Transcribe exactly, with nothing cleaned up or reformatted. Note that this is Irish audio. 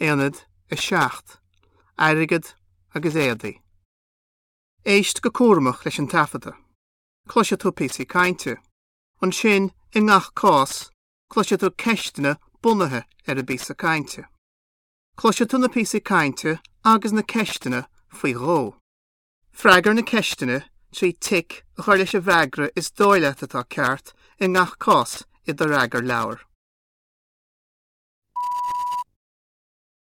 Aonad a seacht, Airgead agus éadaí. Éist go cúramach leis an taifeadadh. Cloisfidh tú píosaí cainte. Ansin i ngach cás, cloisfidh tú ceisteanna bunaithe ar an bpíosa cainte. Cloisfidh tú na píosaí cainte agus na ceisteanna faoi dhó. Freagair na ceisteanna trí tic a chur leis an bhfreagra is dóigh leat atá ceart i ngach cás i do fhreagarleabhar.